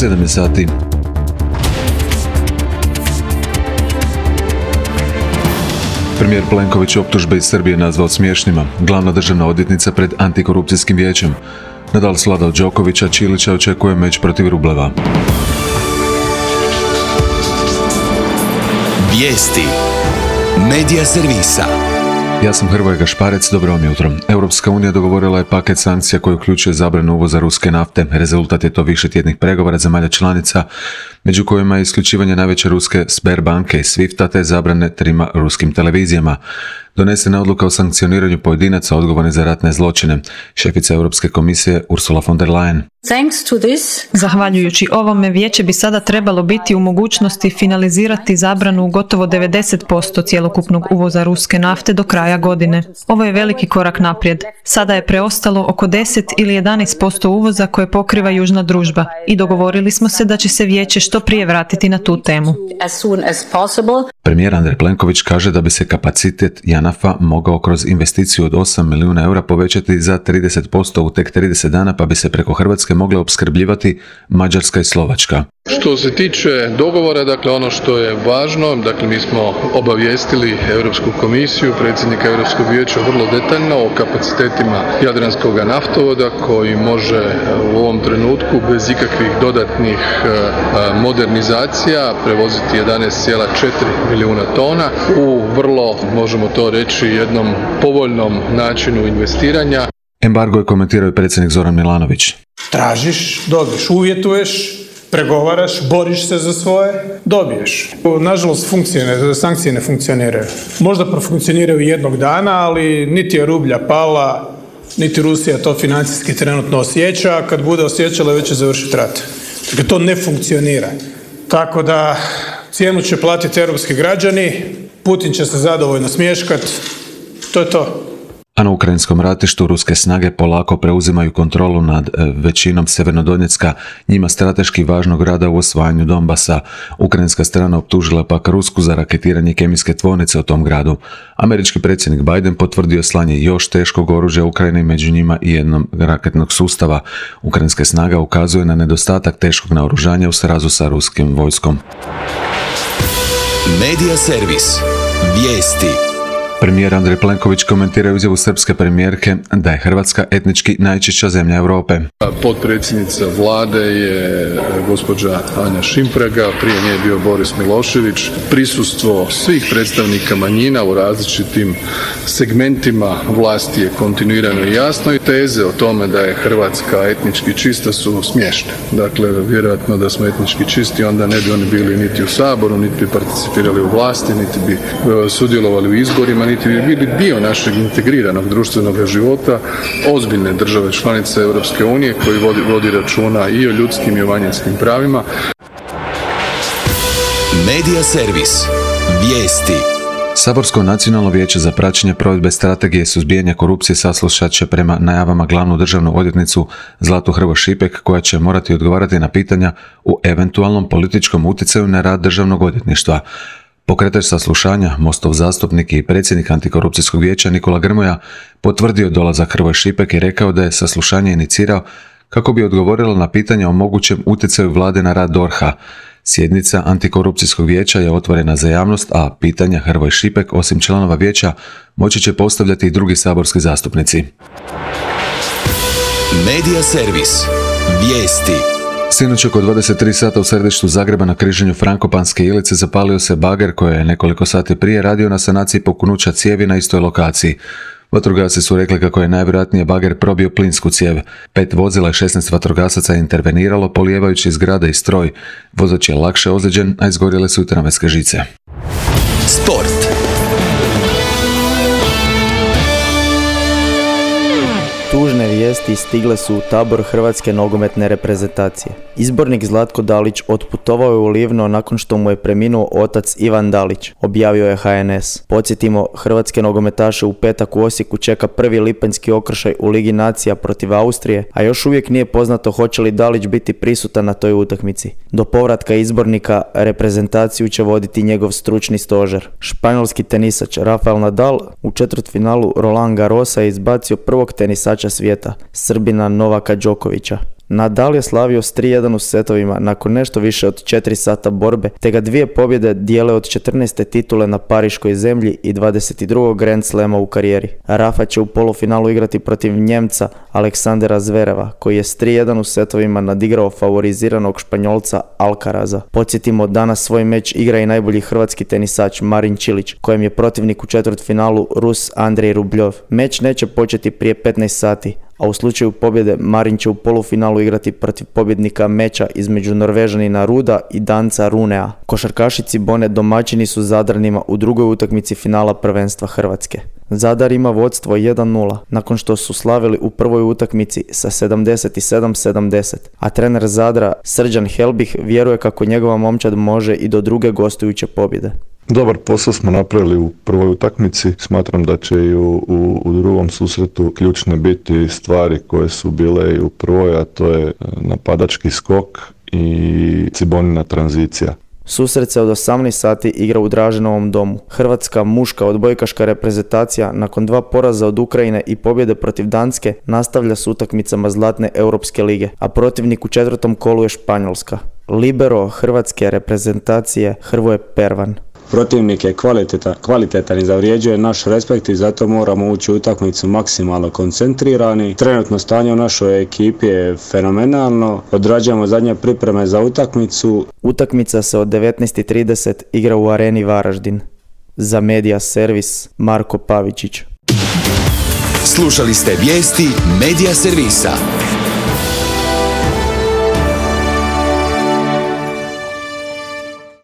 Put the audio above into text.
7 je sati. Premijer Plenković optužbe iz Srbije nazvao smiješnima. Glavna državna odvjetnica pred antikorupcijskim vijećem. Nadal svladao Đokovića, Čilića očekuje meč protiv Rubleva. Vijesti Medija servisa. Ja sam Hrvoje Gašparec, dobro vam jutro. Europska unija dogovorila je paket sankcija koji uključuje zabranu uvoza ruske nafte. Rezultat je to višetjednih pregovora zemalja članica, među kojima je isključivanje najveće ruske Sberbanke i Swifta te zabrane 3 ruskim televizijama. Donesena je odluka o sankcioniranju pojedinaca odgovornih za ratne zločine. Šefica Europske komisije Ursula von der Leyen. Zahvaljujući ovome, vijeće bi sada trebalo biti u mogućnosti finalizirati zabranu gotovo 90% cjelokupnog uvoza ruske nafte do kraja godine. Ovo je veliki korak naprijed. Sada je preostalo oko 10 ili 11% uvoza koje pokriva južna družba i dogovorili smo se da će se vijeće što prije vratiti na tu temu. Premijer Andrej Plenković kaže da bi se kapacitet JANAF-a mogao kroz investiciju od 8 milijuna eura povećati za 30% u tek 30 dana, pa bi se preko Hrvatske mogle opskrbljivati Mađarska i Slovačka. Što se tiče dogovora, dakle ono što je važno, dakle mi smo obavijestili Europsku komisiju, predsjednika Europskog vijeća vrlo detaljno o kapacitetima Jadranskog naftovoda koji može u ovom trenutku bez ikakvih dodatnih modernizacija prevoziti 11,4 milijuna tona u vrlo, možemo to reći, jednom povoljnom načinu investiranja. Embargo je komentirao i predsjednik Zoran Milanović. Tražiš, dobiješ, uvjetuješ, pregovaraš, boriš se za svoje, dobiješ. Nažalost, sankcije ne funkcioniraju. Možda profunkcioniraju jednog dana, ali niti je rublja pala, niti Rusija to financijski trenutno osjeća, a kad bude osjećala već će završiti rat. Dakle, to ne funkcionira. Tako da cijenu će platiti europski građani, Putin će se zadovoljno smješkati, to je to. A na ukrajinskom ratištu ruske snage polako preuzimaju kontrolu nad većinom Sjevernodonjecka, njima strateški važnog grada u osvajanju Donbasa. Ukrajinska strana optužila pak Rusku za raketiranje kemijske tvornice u tom gradu. Američki predsjednik Biden potvrdio slanje još teškog oružja Ukrajini, među njima i jednog raketnog sustava. Ukrajinska snaga ukazuje na nedostatak teškog naoružanja u srazu sa ruskim vojskom. Medija servis. Vijesti. Premijer Andrej Plenković komentira izjavu srpske premijerke da je Hrvatska etnički najčišća zemlja Europe. Potpredsjednica vlade je gospođa Anja Šimpraga, prije nje je bio Boris Milošević. Prisustvo svih predstavnika manjina u različitim segmentima vlasti je kontinuirano i jasno i teze o tome da je Hrvatska etnički čista su smiješne. Dakle, vjerojatno da smo etnički čisti, onda ne bi oni bili niti u Saboru, niti bi participirali u vlasti, niti bi sudjelovali u izborima, niti bi bili dio našeg integriranog društvenog života ozbiljne države članice Europske unije koji vodi računa i o ljudskim i o manjinskim pravima. Medija servis. Vijesti. Saborsko nacionalno vijeće za praćenje provedbe strategije suzbijanja korupcije saslušat će prema najavama glavnu državnu odvjetnicu Zlatu Hrvoj Šipek, koja će morati odgovarati na pitanja u eventualnom političkom utjecaju na rad državnog odvjetništva. Pokretač saslušanja, Mostov zastupnik i predsjednik antikorupcijskog vijeća Nikola Grmoja potvrdio dolazak Hrvoj Šipek i rekao da je saslušanje inicirao kako bi odgovorilo na pitanja o mogućem utjecaju vlade na rad DORH-a. Sjednica antikorupcijskog vijeća je otvorena za javnost, a pitanja Hrvoj Šipek, osim članova vijeća, moći će postavljati i drugi saborski zastupnici. Medija servis. Vijesti. Sinoć oko 23 sata u središtu Zagreba na križanju Frankopanske Ilice zapalio se bager koji je nekoliko sati prije radio na sanaciji puknuća cijevi na istoj lokaciji. Vatrogasci su rekli kako je najvjerojatnije bager probio plinsku cijev. 5 vozila i 16 vatrogasaca je interveniralo polijevajući zgrade i stroj. Vozač je lakše ozlijeđen, a izgorjele su i tramvajske žice. Sport. Tužne vijesti stigle su u tabor hrvatske nogometne reprezentacije. Izbornik Zlatko Dalić otputovao je u Livno nakon što mu je preminuo otac Ivan Dalić, objavio je HNS. Podsjetimo, hrvatske nogometaše u petak u Osijeku čeka prvi lipanjski okršaj u Ligi nacija protiv Austrije, a još uvijek nije poznato hoće li Dalić biti prisutan na toj utakmici. Do povratka izbornika reprezentaciju će voditi njegov stručni stožer. Španjolski tenisač Rafael Nadal u četvrtfinalu Roland Garrosa je izbacio prvog tenisača svijeta, Srbina Novaka Đokovića. Nadal je slavio s 3-1 u setovima nakon nešto više od 4 sata borbe, te ga 2 pobjede dijele od 14. titule na pariškoj zemlji i 22. Grand Slama u karijeri. Rafa će u polufinalu igrati protiv Njemca Aleksandera Zvereva, koji je s 3-1 u setovima nadigrao favoriziranog Španjolca Alcaraza. Podsjetimo, danas svoj meč igra i najbolji hrvatski tenisač Marin Čilić, kojem je protivnik u četvrtfinalu Rus Andrej Rubljov. Meč neće početi prije 15 sati, a u slučaju pobjede Marin će u polufinalu igrati protiv pobjednika meča između Norvežanina Ruda i Danca Runea. Košarkaši Cibone domaćini su Zadranima u drugoj utakmici finala prvenstva Hrvatske. Zadar ima vodstvo 1-0 nakon što su slavili u prvoj utakmici sa 77-70, a trener Zadra Srđan Helbih vjeruje kako njegova momčad može i do druge gostujuće pobjede. Dobar posao smo napravili u prvoj utakmici. Smatram da će i u drugom susretu ključne biti stvari koje su bile i u prvoj, a to je napadački skok i Cibonina tranzicija. Susret se od 18 sati igra u Draženovom domu. Hrvatska muška odbojkaška reprezentacija nakon 2 poraza od Ukrajine i pobjede protiv Danske nastavlja s utakmicama Zlatne Europske lige, a protivnik u 4. kolu je Španjolska. Libero hrvatske reprezentacije Hrvoje Pervan. Protivnik je kvalitetan i zavrijeđuje naš respekt i zato moramo ući u utakmicu maksimalno koncentrirani. Trenutno stanje u našoj ekipi je fenomenalno. Odrađujemo zadnje pripreme za utakmicu. Utakmica se od 19:30 igra u Areni Varaždin. Za Media Servis Marko Pavičić. Slušali ste vijesti Media Servisa.